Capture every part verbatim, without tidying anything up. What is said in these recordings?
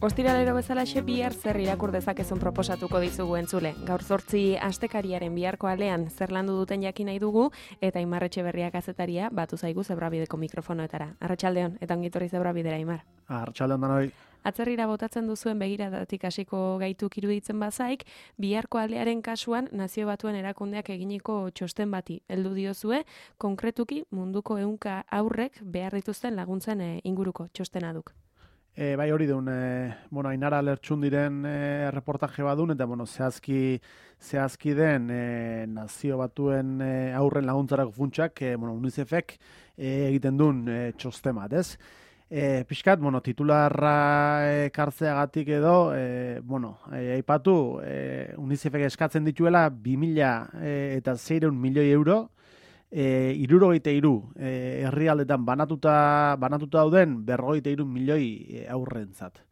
Ostiralero bezalaxe bihar zer irakur dezakezun proposatuko dizugu entzule. Gaur zortzi astekariaren biharko alean zer landu duten jakin nahi dugu eta Aimar Etxeberria kazetaria batu zaigu Zebrabideko mikrofonoetara. Arratsaldeon eta ongitorri Zebrabidera, Aimar. Arratsaldeon danoi. Atzerrira botatzen duzuen begiradatik hasiko gaituk iruditzen bazaik, biharko alearen kasuan Nazio Batuen erakundeak eginiko txosten bati heldu diozue, konkretuki munduko ehunka haurrek behar dituzten laguntzen inguruko txostena duk. E, bai hori duen, e, bueno, Ainara Lertxun diren e, reportaje badun, eta bueno, zehazki, zehazki den e, Nazio Batuen e, aurren laguntzarako funtsak, e, bueno, UNICEFek e, egiten duen e, txosten bat, ez? E, pixkat, bueno, titularra ekartzeagatik edo, e, bueno, e, aipatu, e, UNICEFek eskatzen dituela bi mila eta seiehun milioi euro, E, irurogeita iru e, herrialdetan banatuta, banatuta dauden berrogeita iru milioi e, aurrentzat.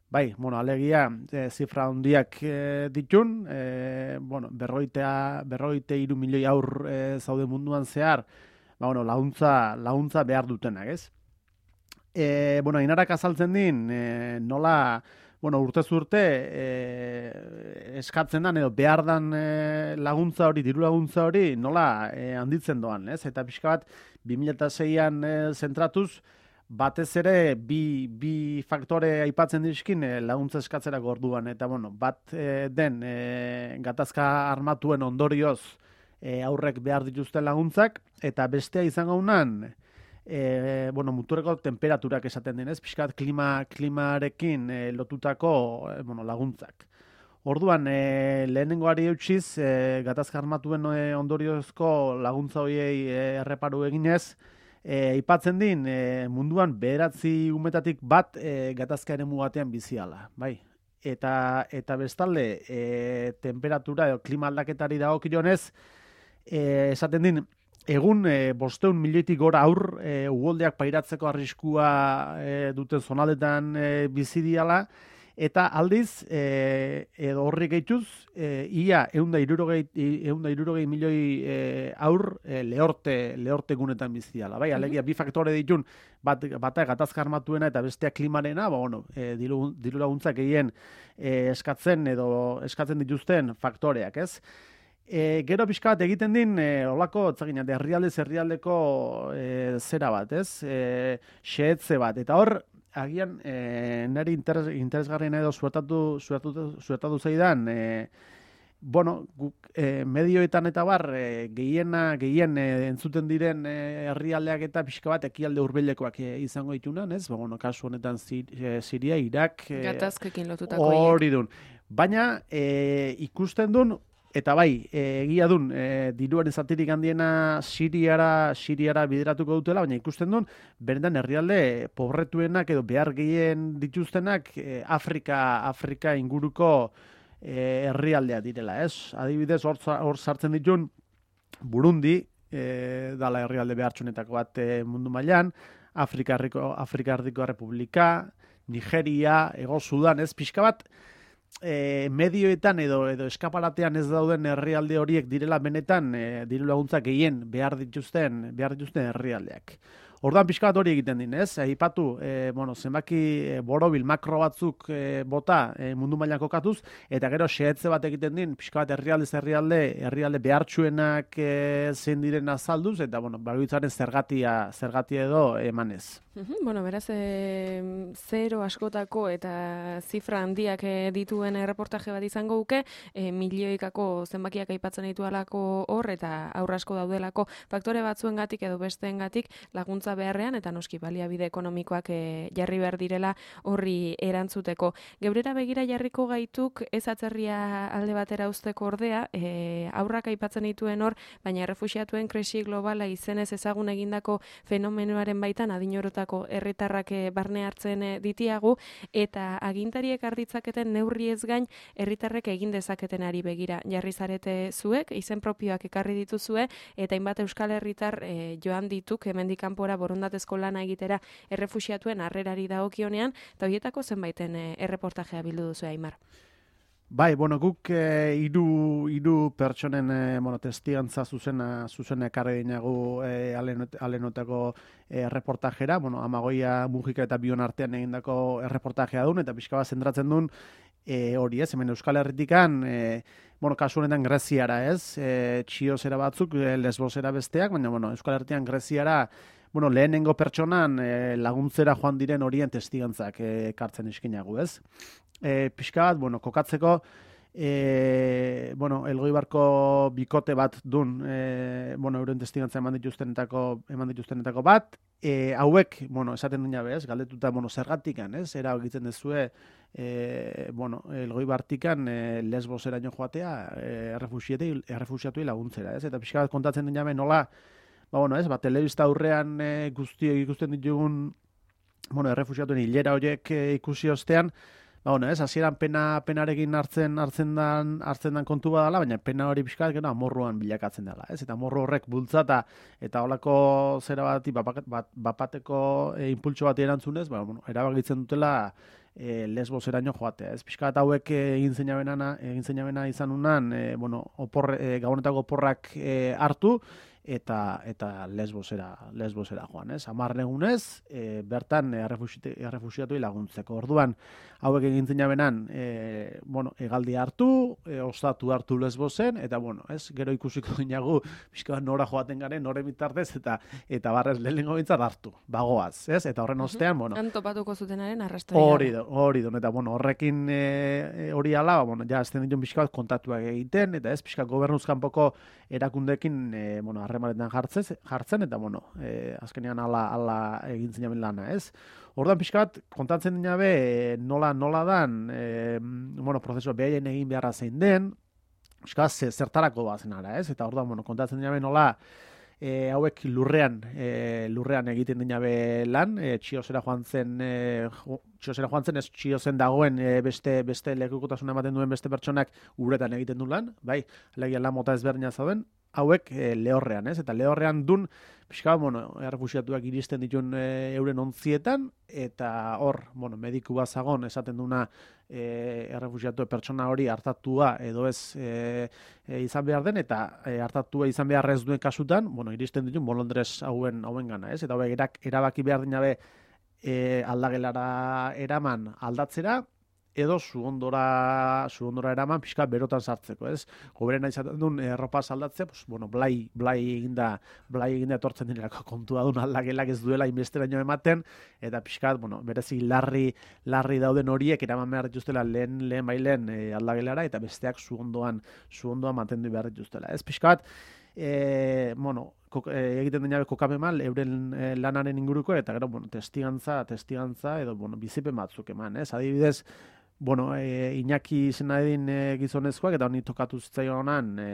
Bai, bueno, alegia e, zifra handiak e, ditun, e, bueno, berrogeita, berrogeita iru milioi aur e, zaude munduan zehar, ba, bueno, launtza, launtza behar dutenak, ez? E, bueno, Ainarak azaltzen din, e, nola... Bueno, urtez urte e, eskatzen dan edo behar dan e, laguntza hori, diru laguntza hori nola e, handitzen doan, ez? Eta pixka bat, bi mila seian e, zentratuz, batez ere bi, bi faktore aipatzen dizkin e, laguntza eskatzerako orduan. Eta bueno, bat e, den e, gatazka armatuen ondorioz e, aurrek behar dituzten laguntzak, eta bestea izango unan, E, bueno, muturreko temperaturak esaten denez, pixkat klima, klimarekin e, lotutako e, bueno, laguntzak. Orduan, e, lehenengoari eutxiz, e, gatazka armatuen e, ondoriozko laguntza horiei e, erreparu eginez, e, ipatzen din, e, munduan bederatzi umetatik bat e, gatazka eremu batean biziala, bai. Eta, eta bestalde, e, temperatura edo klima aldaketari dagokionez, e, esaten din, egun e, bosteun milioitik gora aur e, ugoldeak pairatzeko arriskua e, duten zonaldetan e, bizi diala, eta aldiz e, edo horri gehituz e, ia ehun eta hirurogei milioi e, aur e, lehorte, lehorte gunetan bizi diala. Bai, alegia bi faktore ditun, bat, bata gatazka armatuena eta bestea klimarena, ba, bueno, e, diru, diru laguntzak egin e, eskatzen edo eskatzen dituzten faktoreak, ez? E, gero pixka bat egiten din, e, olako, etzagina, herrialdez herrialdeko e, zera bat, ez? E, xehetze bat. Eta hor, agian, e, nari interes, interesgarriena edo zuertatu, zuertatu, zuertatu zaidan, e, bueno, guk e, medioetan eta bar, e, gehiena, gehien e, entzuten diren e, herrialdeak eta pixka bat ekialde hurbilekoak e, izango ditunan, ez? Ba, bueno, kasu honetan zir, e, Siria, Irak... E, Gatazkekin lotutako hori dun. Baina, e, ikusten dun, eta bai, egia dun, e, diruaren zatirik handiena Siriara, Siriara bideratuko dutela, baina ikusten dun, berendan herrialde pobretuenak edo behar gehien dituztenak e, Afrika, Afrika inguruko e, herrialdea direla, ez? Adibidez, hor, hor sartzen ditun Burundi, e, dala herrialde behartxunetako bat e, mundu mailan, Afrika Erdiko Republika, Nigeria, Ego Sudan, ez? Pixka bat, E, medioetan edo edo eskaparatean ez dauden herrialde horiek direla benetan e, diru laguntzak gehien behar dituzten behar dituzten herrialdeak. Orduan pixka bat hori egiten din, ez? Aipatu, e, bueno, zenbaki e, borobil makro batzuk e, bota e, mundu mailan kokatuz, eta gero xehetze bat egiten din, pixka bat herrialdez herrialde, herrialde behartsuenak e, zein diren azalduz, eta bueno, bakoitzaren zergatia, zergatia edo emanez. Uhum, bueno, beraz, e, zero askotako eta zifra handiak e, dituen erreportaje bat izango duke, e, milioikako zenbakiak aipatzen ditualako hor, eta aurra asko daudelako faktore batzuengatik edo besteengatik laguntza beharrean, eta noski baliabide ekonomikoak e, jarri behar direla horri erantzuteko. Geurera begira jarriko gaituk ez atzerria alde batera uzteko ordea, e, aurrak aipatzen dituen hor, baina errefuxiatuen krisi globala izenez ezagun egindako fenomenoaren baitan adinorotako herritarrak barne hartzen ditiagu, eta agintariek arditzaketen neurri ez gain herritarrek egin dezaketen ari begira jarri zarete zuek, izen propioak ekarri dituzue, eta hainbat euskal herritar e, joan dituk hemendik kanpora borondatezko lana egitera errefuxiatuen harrerari dagokionean, eta horietako zenbaiten e, erreportajea bildu duzu, Aimar. Bai, bueno, guk eh, hiru hiru pertsonen eh, bueno, testigantza zuzena zuzena ekarri dinagu eh, alenot, alenotako eh, reportajera, bueno, Amagoia, Mujika eta Bion artean egindako erreportajea duen, eta pixka bat zentratzen duen e, hori ez, hemen Euskal Herritikan, e, bueno, kasu honetan Greziara ez, e, txiozera batzuk, e, lesbosera besteak, baina, bueno, Euskal Herritian Greziara, bueno, lehenengo pertsonan e, laguntzera joan diren horien testigantzak e, ekartzen iskinagu ez. E, pixka bat, bueno, kokatzeko, e, bueno, Elgoibarko bikote bat dun, e, bueno, euren testigantza eman dituztenetako, eman dituztenetako bat, e, hauek, bueno, esaten dina bez, galdetuta, bueno, zergatikan, ez, era egitzen dezue, e, bueno, Elgoibartikan e, lesboseraino joatea, e, errefusiatuei laguntzera, ez, eta pixka bat kontatzen dina be nola, ba, bueno, ez, ba, telebista aurrean e, guztiok ikusten ditugun, bueno, errefusiatuen hilera horiek e, ikusi ostean, ba, bueno, ez, hasieran pena penarekin hartzen hartzen dan hartzen dan kontu badala, baina pena hori pixkat gero amorruan bilakatzen dela, ez? Eta amorru horrek bultzata eta holako zera bati bat, bat, bapateko e, impultso bat erantzunez, ba, bueno, erabakitzen dutela e, lesboseraino joatea, ez? Pixkat hauek egin zeinabena egin zeinabena izan unan, e, bueno, opor e, gabonetako oporrak e, hartu eta eta lesbosera lesbosera joan, ez? hamar egunez, e, bertan errefuxiatuei laguntzeko. Orduan, hauek egin zinabenan, e, bueno, hegaldi hartu, e, ostatu hartu lesbosen, eta bueno, ez? Gero ikusiko dinagu, pixka nora joaten garen, nore bitartez, eta eta barrez lehenengo bintzat hartu, bagoaz, ez? Eta horren ostean, bueno. Han topatuko zutenaren arrastoia. Hori do, hori do, eta bueno, horrekin e, hori ala, ba, bueno, ja, azten dituen pixka bat kontatuak egiten, eta ez, pixka gobernuzkanpoko erakundekin, e, bueno, harremanetan jartzen, jartzen eta bueno, e, azkenean ala, ala egin zinaben lana, ez? Orduan pixka bat, kontatzen dina be, e, nola, nola dan, e, bueno, prozesua behaien egin beharra zein den, pixka bat, zertarako bazen ara, ez? Eta orduan, bueno, kontatzen dina be nola, e, hauek lurrean, e, lurrean egiten dina be lan, e, txiozera joan zen, e, txiozera joan zen, ez txiozen dagoen e, beste, beste lekukotasuna ematen duen beste pertsonak uretan egiten du lan, bai, alegia lan mota ezberdina zauden, hauek e, lehorrean, ez? Eta lehorrean dun, pixka, bueno, errefusiatuak iristen dituen e, euren ontzietan, eta hor, bueno, mediku bazagon esaten duna e, errefusiatu pertsona hori hartatua edo ez e, e, izan behar den, eta e, hartatua izan behar ez duen kasutan, bueno, iristen dituen bolondrez hauen, hauen gana, ez? Eta hauek erak, erabaki behar dinabe e, aldagelara eraman aldatzera, edo zuondora, zuondora eraman pixka berotan sartzeko, ez? Goberena izaten duen erropa saldatzea, pues, bueno, blai, blai eginda, blai eginda etortzen direlako kontua duen aldagelak ez duela inbesteraino ematen, eta pixkat, bueno, berezi larri, larri dauden horiek eraman behar dituztela lehen, lehen bailen e, aldagelara, eta besteak zuondoan, zuondoan mantendu behar dituztela, ez? Pixkat, e, bueno, egiten dena kokapen mal, euren e, lanaren inguruko, eta gero, bueno, testigantza, testigantza, edo, bueno, bizipen batzuk eman, ez? Adibidez, bueno, e, Iñaki izena edin e, gizonezkoak, eta honi tokatu zitzaionan, e,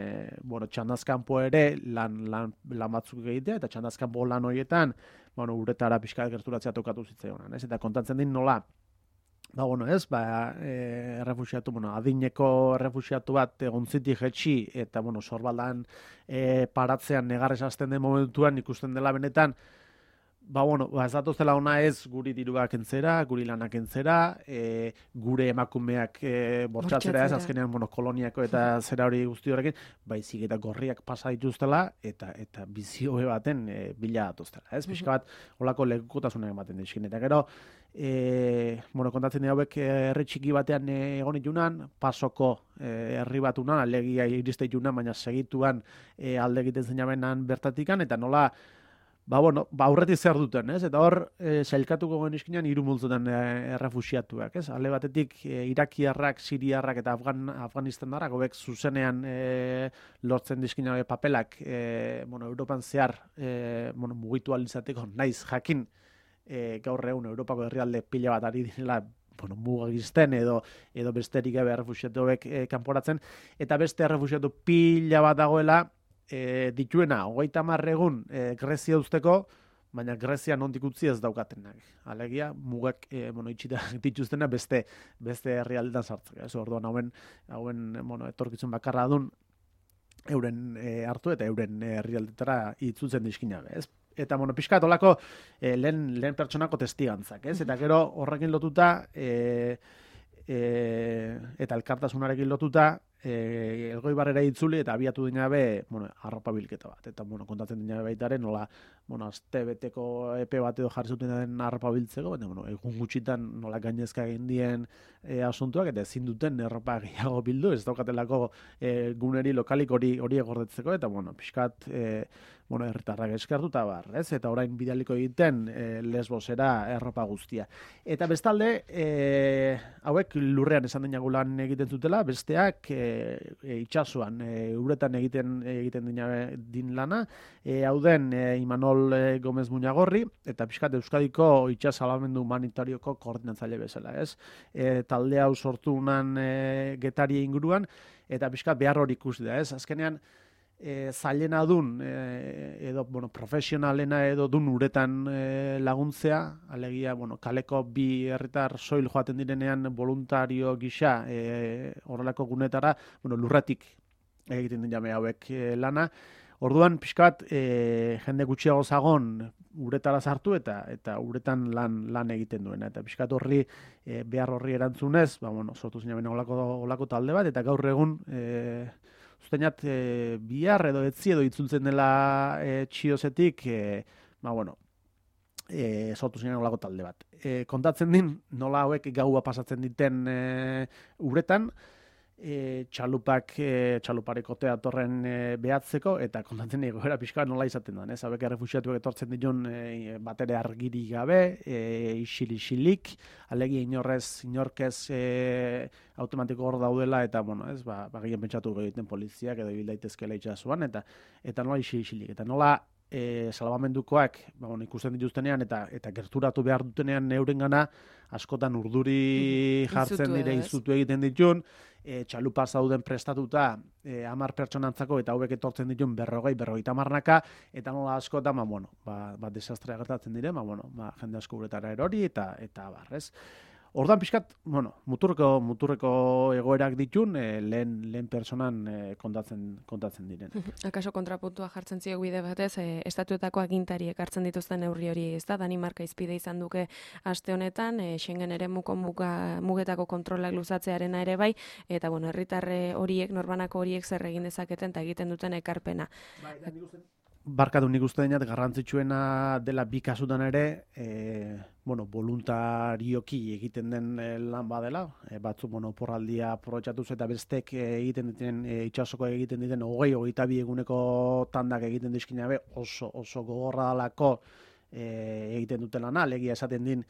bueno, txandazkanpo ere lan, lan, lan batzuk egitea, eta txandazkanpo lan horietan, bueno, uretara pixka gerturatzea tokatu zitzaionan, ez? Eta kontatzen din nola, ba, bueno, ez, ba, e, errefusiatu, bueno, adineko errefusiatu bat egontzitik jetxi, eta, bueno, sorbaldan e, paratzean negarrez hasten den momentuan ikusten dela benetan, ba, bueno, ba, ez datozela ona ez guri diruak entzera, guri lanak entzera, e, gure emakumeak e, bortxatzera ez, azkenean, bueno, koloniako eta zera hori guzti horrekin, baizik eta gorriak pasa dituztela, eta eta bizioe baten e, bila datuztela, ez? Pixka bat, holako lekukotasunak ematen dizkin. Eta gero, e, bueno, kontatzen dira hauek herri txiki batean e, egon itunan, pasoko e, herri bat unan, alegia iriste itunan, baina segituan e, alde egiten zeinabenan bertatikan, eta nola, ba, bueno, ba, aurretik zer duten, ez? Eta hor, e, zailkatuko genizkinan hiru multzotan e, errefusiatuak, ez? Alde batetik, e, irakiarrak, siriarrak eta Afgan, afganistandarrak, hobek zuzenean e, lortzen dizkina papelak, e, bueno, Europan zehar, e, bueno, mugitu alizateko, naiz jakin, e, gaur egun Europako herrialde pila bat ari direla, bueno, mugagizten edo edo besterik gabe errefusiatu hobek e, kanporatzen, eta beste errefusiatu pila bat dagoela, E, dituena, hogeita hamar egun e, Grezia usteko, baina Grezia nondik utzi ez daukatenak. Alegia, mugak e, bueno, itxita dituztena beste beste herrialdetan sartzeko. Ez orduan hauen, hauen bueno, etorkizun bakarra dun euren e, hartu eta euren herrialdetara itzutzen dizkina, ez? Eta, bueno, pixkat olako e, lehen, lehen pertsonako testigantzak, ez? Eta gero horrekin lotuta, e, e, eta elkartasunarekin lotuta, e, Elgoibarrera itzuli eta abiatu dinabe, bueno, arropa bilketa bat. Eta, bueno, kontatzen dinabe baitaren, nola, bueno, azte beteko epe bat edo jarri zuten den arropa biltzeko, eta, bueno, egun gutxitan nola gainezka egin dien e, asuntuak, eta ezin duten erropa gehiago bildu, ez daukatelako e, guneri lokalik hori hori egordetzeko, eta, bueno, pixkat, e, bueno, herritarrak eskertu eta bar, ez? Eta orain bidaliko egiten e, Lesbosera erropa guztia. Eta bestalde, e, hauek lurrean esan denago lan egiten zutela, besteak e, e, itxasuan, e, uretan egiten egiten dina, din lana, e, hau den e, Imanol e, Gomez Muñagorri, eta pixkat Euskadiko itxas salbamendu humanitarioko koordinatzaile bezala, ez? E, talde hau sortu unan e, Getaria inguruan, eta pixkat behar hori ikusi da, ez? Azkenean, E, zailena dun e, edo bueno, profesionalena edo dun uretan e, laguntzea, alegia bueno, kaleko bi herritar soil joaten direnean voluntario gisa e, horrelako gunetara bueno, lurratik egiten den jame hauek e, lana. Orduan pixkat e, jende gutxiago zagon uretara sartu eta eta uretan lan lan egiten duena eta pixkat horri e, behar horri erantzunez, ba bueno, sortu zinaben olako olako talde bat eta gaur egun e, Zuteinat, e, bihar edo etzi edo itzultzen dela e, txiozetik, e, ba, bueno, e, sortu ziren olako talde bat. E, kontatzen din, nola hauek gaua pasatzen diten e, uretan, e, txalupak, e, txalupareko teatorren e, behatzeko, eta kontatzen egoera pixka nola izaten da, ez? Hauek errefuxiatuak etortzen ditun e, batere argiri gabe, e, isil-isilik, alegi inorrez, inorkez e, automatiko hor daudela, eta, bueno, ez, ba, ba gehien pentsatu egiten poliziak edo ibil daitezkela itxasuan, eta, eta nola isil-isilik, eta nola e, salbamendukoak, ba, bueno, ikusten dituztenean, eta, eta gerturatu behar dutenean neurengana, askotan urduri jartzen dire izutu egiten ditun, e, txalupa zauden prestatuta e, amar pertsonantzako eta hauek etortzen ditun berrogei, berrogeita hamarnaka, eta nola askotan, ba, bueno, ba, ba desastrea gertatzen dire, ba, bueno, ba, jende asko uretara erori, eta, eta barrez. Ordan pixkat, bueno, muturreko, muturreko egoerak ditun, e, lehen, lehen personan e, kontatzen, kontatzen diren. Akaso kontrapuntua jartzen zio bide batez, e, estatuetako agintariek hartzen dituzten neurri hori, ez da, Danimarka izpide izan duke aste honetan, e, Schengen ere muko muga, mugetako kontrolak luzatzearena ere bai, eta bueno, herritarre horiek, norbanako horiek zer egin dezaketen eta egiten duten ekarpena. Bai, da, nik uste... Barkatu nik uste dinat garrantzitsuena dela bi kasutan ere, e, bueno, voluntarioki egiten den e, lan badela, e, batzuk bueno, porraldia aprobetxatuz eta bestek e, egiten diten e, itxasoko egiten diten hogei hogeita bi eguneko tandak egiten dizkinabe oso oso gogorra dalako e, egiten duten lana, alegia esaten din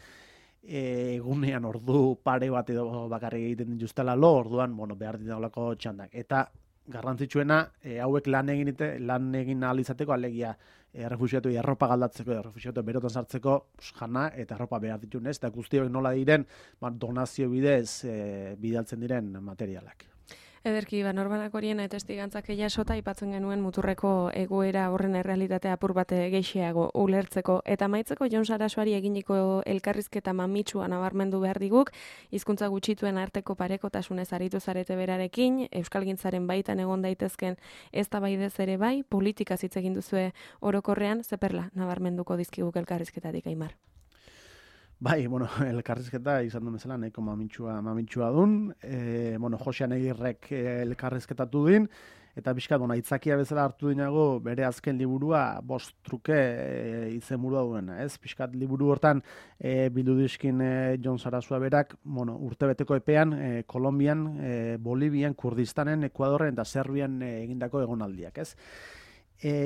e, egunean ordu pare bat edo bakarrik egiten dituztela lo, orduan bueno, behar ditolako txandak. Eta garrantzitsuena, e, hauek lan egin ite, lan egin ahal izateko, alegia e, errefuxiatu erropa galdatzeko, errefuxiatu berotan sartzeko pues, jana eta erropa behar ditun ez, eta guztiok nola diren ba, donazio bidez e, bidaltzen diren materialak. Ederki, ba, norbanak horien testigantzak jasota aipatzen genuen muturreko egoera horren errealitatea apur bat geixiago ulertzeko. Eta maitzeko Jon Sarasuari eginiko elkarrizketa mamitsua nabarmendu behar diguk, hizkuntza gutxituen arteko parekotasunez aritu zarete berarekin, euskalgintzaren baitan egon daitezken eztabaidez ere bai, politika hitz egin duzue orokorrean, zeperla nabarmenduko dizkiguk elkarrizketatik, Aimar. Bai, bueno, elkarrizketa izan duen bezala nahiko mamitsua, mamitsua dun. E, bueno, Josean Egirrek elkarrizketatu din, eta pixkat, bueno, aitzakia bezala hartu dinago bere azken liburua bost truke e, izenburua duena, ez? Pixkat liburu hortan e, bildu dizkin e, Jon Sarasua berak, bueno, urtebeteko epean, e, Kolombian, e, Bolivian, Kurdistanen, Ekuadorren eta Serbian e, egindako egonaldiak, ez? E,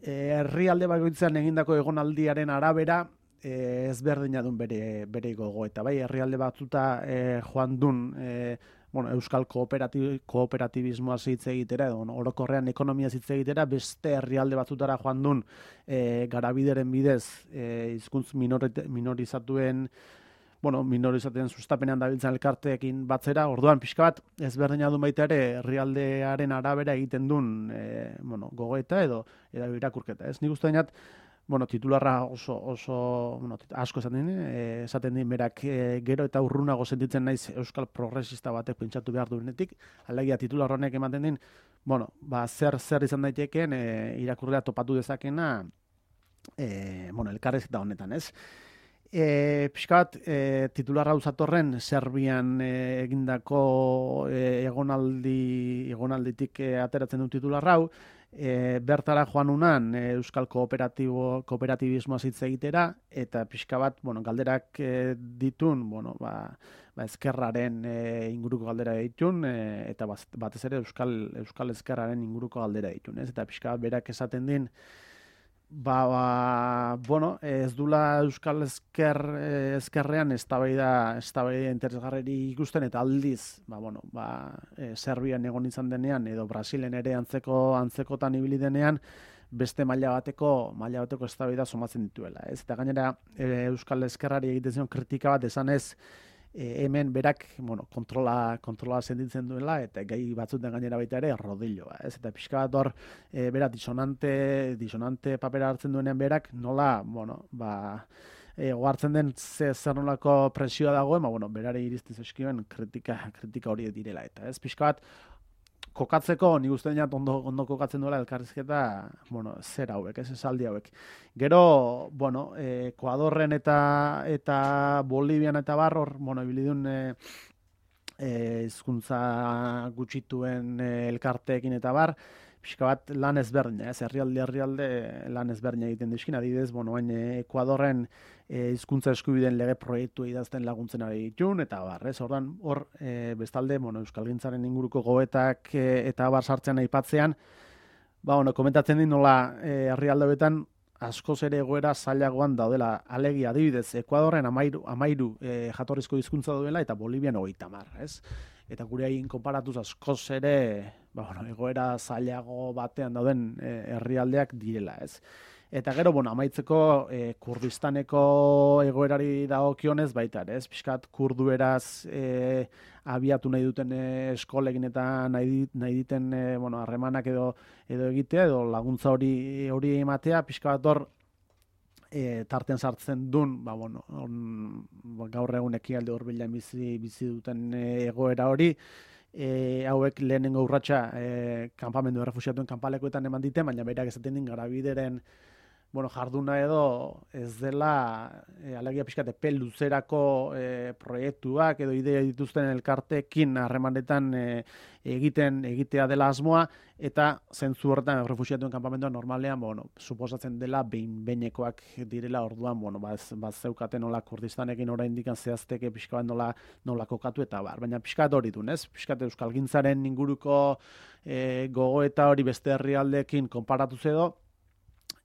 e, herrialde bakoitzean egindako egonaldiaren arabera, E, ezberdina dun bere, bere gogo, eta bai, herrialde batzuta e, joan dun e, bueno, euskal kooperatib, kooperatibismoa hitz egitera, edo orokorrean ekonomia hitz egitera, beste herrialde batzutara joan dun e, garabideren bidez e, hizkuntz minorizatuen bueno, minorizaten sustapenean dabiltzen elkarteekin batzera, orduan pixka bat ezberdina dun baita ere herrialdearen arabera egiten dun e, bueno, gogoeta edo, edo irakurketa. Ez nik uste dinat, bueno, titularra oso, oso bueno, asko esaten din, e, esaten din berak e, gero eta urrunago sentitzen naiz euskal progresista batek pentsatu behar duenetik, alegia titular honek ematen din, bueno, ba, zer zer izan daitekeen e, irakurria topatu dezakena, e, bueno, elkarrezketa honetan, ez? E, pixka bat, e, titularra uzatorren, Serbian e, egindako e, egonaldi, egonalditik e, ateratzen du titularra hau, e, bertara joan unan e, Euskal Kooperatibo, Kooperatibismoa hitz egitera, eta pixka bat, bueno, galderak e, ditun, bueno, ba, ba ezkerraren e, inguruko galdera ditun, e, eta batez ere Euskal, Euskal ezkerraren inguruko galdera ditun, ez? Eta pixka bat berak esaten din, Ba, ba, bueno, ez dula Euskal Ezker, ezkerrean eztabaida eztabaida interesgarri ikusten eta aldiz, ba, bueno, ba, e, Serbian egon izan denean edo Brasilen ere antzeko antzekotan ibili denean beste maila bateko maila bateko eztabaida somatzen dituela, ez? Eta gainera e, Euskal Ezkerrari egiten zion kritika bat esanez E, hemen berak, bueno, kontrola, kontrola sentitzen duela, eta gai batzuten gainera baita ere, rodilloa, ez? Eta pixka bat hor, e, berak disonante, disonante papera hartzen duenean berak, nola, bueno, ba, e, ohartzen den ze, zer nolako presioa dagoen, ba, bueno, berare iriztiz eskioen kritika, kritika horiek direla, eta ez? Pixka bat, kokatzeko, nik uste dinat ondo, ondo kokatzen duela elkarrizketa, bueno, zer hauek, ez esaldi hauek. Gero, bueno, eh, Ekuadorren eta eta Bolivian eta bar, hor, bueno, ibilidun eh, eh, hizkuntza gutxituen eh, elkarteekin eta bar, pixka bat lan ezberdina, ez, herrialde herrialde lan ezberdina egiten dizkin, adibidez, bueno, hain Ekuadorren hizkuntza e, eskubideen lege proiektu idazten laguntzen ari ditun, eta bar, ez, ordan, hor, e, bestalde, bueno, euskalgintzaren inguruko goetak e, eta bar sartzen aipatzean, ba, bueno, komentatzen din nola e, herrialde hobetan askoz ere egoera zailagoan daudela, alegia adibidez, Ekuadorren amairu, amairu e, jatorrizko hizkuntza duela eta Bolivian hogeita hamar, ez? Eta gure egin konparatuz askoz ere, ba, bueno, egoera zailago batean dauden e, herrialdeak direla, ez? Eta gero, bueno, amaitzeko e, Kurdistaneko egoerari dagokionez baita, ez? Pixkat kurdueraz e, abiatu nahi duten e, eskolekin eta nahi, nahi diten e, bueno, harremanak edo edo egitea edo laguntza hori hori ematea, pixka bat hor e, tarten sartzen dun, ba, bueno, on, gaur egun ekialde hurbilan bizi bizi duten e, egoera hori, e, hauek lehenengo urratsa e, kanpamendu errefuxiatuen kanpalekuetan eman dite, baina berak esaten din garabideren bueno, jarduna edo ez dela e, alegia pixkat epe luzerako e, proiektuak edo ideia dituzten elkarteekin harremanetan e, egiten egitea dela asmoa, eta zentzu horretan refuxiatuen kanpamentua normalean, bueno, suposatzen dela behin behinekoak direla, orduan, bueno, ba, ez, ba, zeukaten nola Kurdistanekin oraindik zehazteke pixka bat nola, nola kokatu eta bar, baina pixkat hori duen, ez? Pixkat euskalgintzaren inguruko e, gogoeta hori beste herrialdeekin konparatuz edo,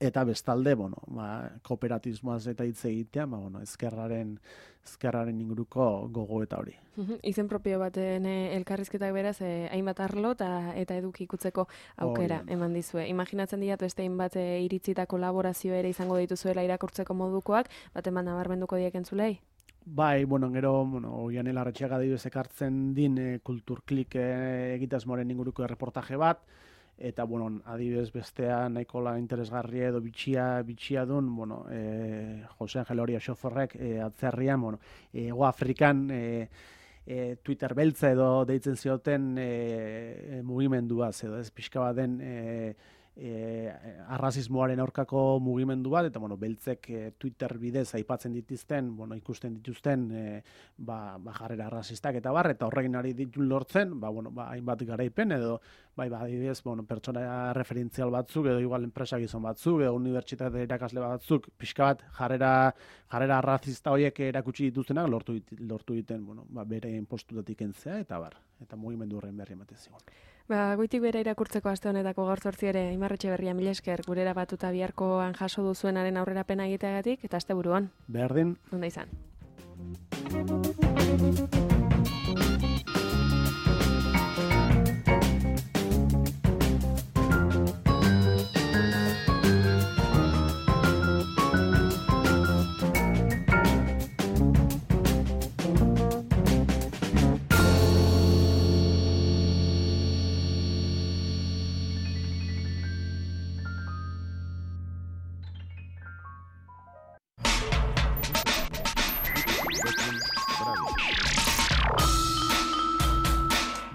eta bestalde, bueno, ba, kooperatismoaz eta hitz egitea, ba, bueno, ezkerraren, ezkerraren inguruko gogoeta hori. Izen propio baten eh, elkarrizketak beraz, eh, hainbat arlo eta, eta eduki ikutzeko aukera oh, eman dizue. Imaginatzen diat beste hainbat eh, iritzita kolaborazio ere izango dituzuela irakurtzeko modukoak, bat eman nabarmenduko diek entzulei? Bai, bueno, gero, bueno, Oiane Larretxeaga adibidez ekartzen din eh, kulturklik eh, egitasmoaren inguruko erreportaje bat, eta, bueno, adibidez bestea nahikola interesgarria edo bitxia, bitxia dun, bueno, e, Jose Angel Horia Xoforrek e, atzerrian, bueno, Ego Afrikan e, e, Twitter beltza edo deitzen zioten e, e, mugimenduaz edo ez pixka bat den e, e, arrazismoaren aurkako mugimendu bat, eta, bueno, beltzek e, Twitter bidez aipatzen dituzten, bueno, ikusten dituzten e, ba, ba jarrera arrazistak eta bar, eta horrekin ari ditu lortzen, ba, bueno, ba, hainbat garaipen edo bai, ba, adibidez, bueno, pertsona referentzial batzuk, edo igual enpresa gizon batzuk, edo unibertsitate irakasle batzuk, pixka bat, jarrera, jarrera arrazista horiek erakutsi dituztenak, lortu, lortu egiten, bueno, ba, bere postutatik entzea, eta bar, eta mugimendu horren berri ematen zigon. Ba, goitik bere irakurtzeko aste honetako gaur zortzi ere, Aimar Etxeberria, mila esker, gurera batuta biharkoan jaso duzuenaren aurrerapena egiteagatik, eta asteburuan. Berdin. Onda izan.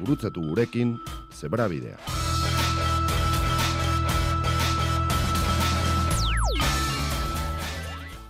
Gurutzatu gurekin, Zebrabidea.